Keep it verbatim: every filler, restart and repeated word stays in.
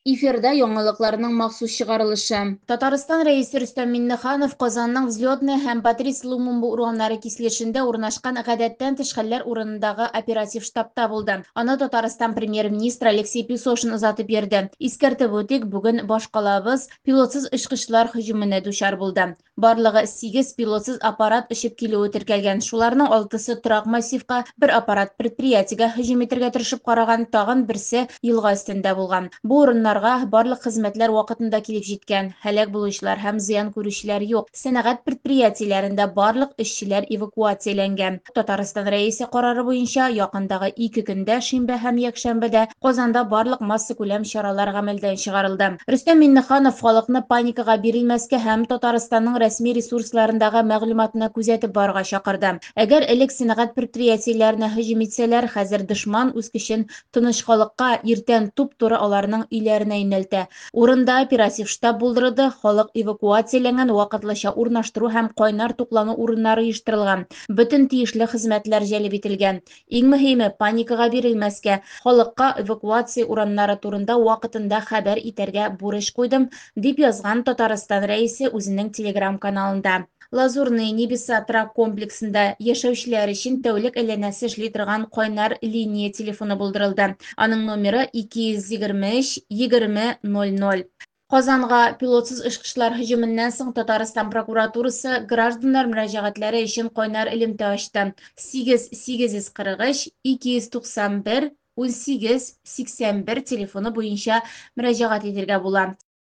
Эфирда яңалыкларның махсус чыгарылышы. Татарстан Рәисе Рөстәм Миңнеханов Казанның Взлетная һәм Патрис Лумумба урамнары киселешендә урнашкан гадәттән тыш хәлләр урынындагы оператив штабта булды. Аны Татарстан премьер-министры Алексей Песошин озатып йөрде. Искәртеп үтик, бүген башкалабыз пилотсыз очкычлар һөҗүменә дучар булды. Барлыгы сигез пилотсыз аппарат очып килүе теркәлгән. Шуларның алтысы торак массивка, бер аппарат предприятиегә һөҗүм итәргә тырышып караган, тагын берсе елга өстендә булган. Бу урыннарга барлык хезмәтләр вакытында килеп җиткән. Һәлак булучылар һәм зыян күрүчеләр юк. Сәнәгать предприятиеләрендә барлык эшчеләр эвакуацияләнгән. Татарстан Рәисе карары буенча якындагы ике көндә, шимбә һәм якшәмбедә Казанда барлык массакүләм чаралар гамәлдән чыгарылды. Рөстәм Миңнеханов халыкны паникага бирелмәскә һәм Татарстанның рәсми ресурсларындагы мәгълүматны күзәтеп барырга чакырды. Әгәр элек сәнәгать предприятиеләренә һөҗүм итсәләр, хәзер дошман үз көчен тыныч халыкка, иртән туп-туры аларның өйләренә юнәлтә. Урында оператив штаб булдырылды, халык эвакуацияләнгән, вакытлыча урнаштыру һәм кайнар туклану урыннары оештырылган. Бөтен тиешле хезмәтләр җәлеп ителгән. Иң мөһиме паникага бирелмәскә, халыкка эвакуация урамнары турында вакытында хәбәр итәргә бурыч куйдым, дип язган Татарстан Рәисе үзенең Телеграм каналында. Лазурные небеса торак комплексында яшәүчеләр өчен тәүлек әйләнәсе эшли торган кайнар линия телефоны булдырылды. Аның номеры ике йөз егерме өч егерме ноль ноль. Казанга пилотсыз очкычлар һөҗүменнән соң Татарстан прокуратурасы гражданнар мөрәҗәгатьләре өчен кайнар элемтә ачты. Сигез сигез йөз кырык өч ике йөз туксан бер унсигез сиксән бер телефоны буенча мөрәҗәгать итәргә була.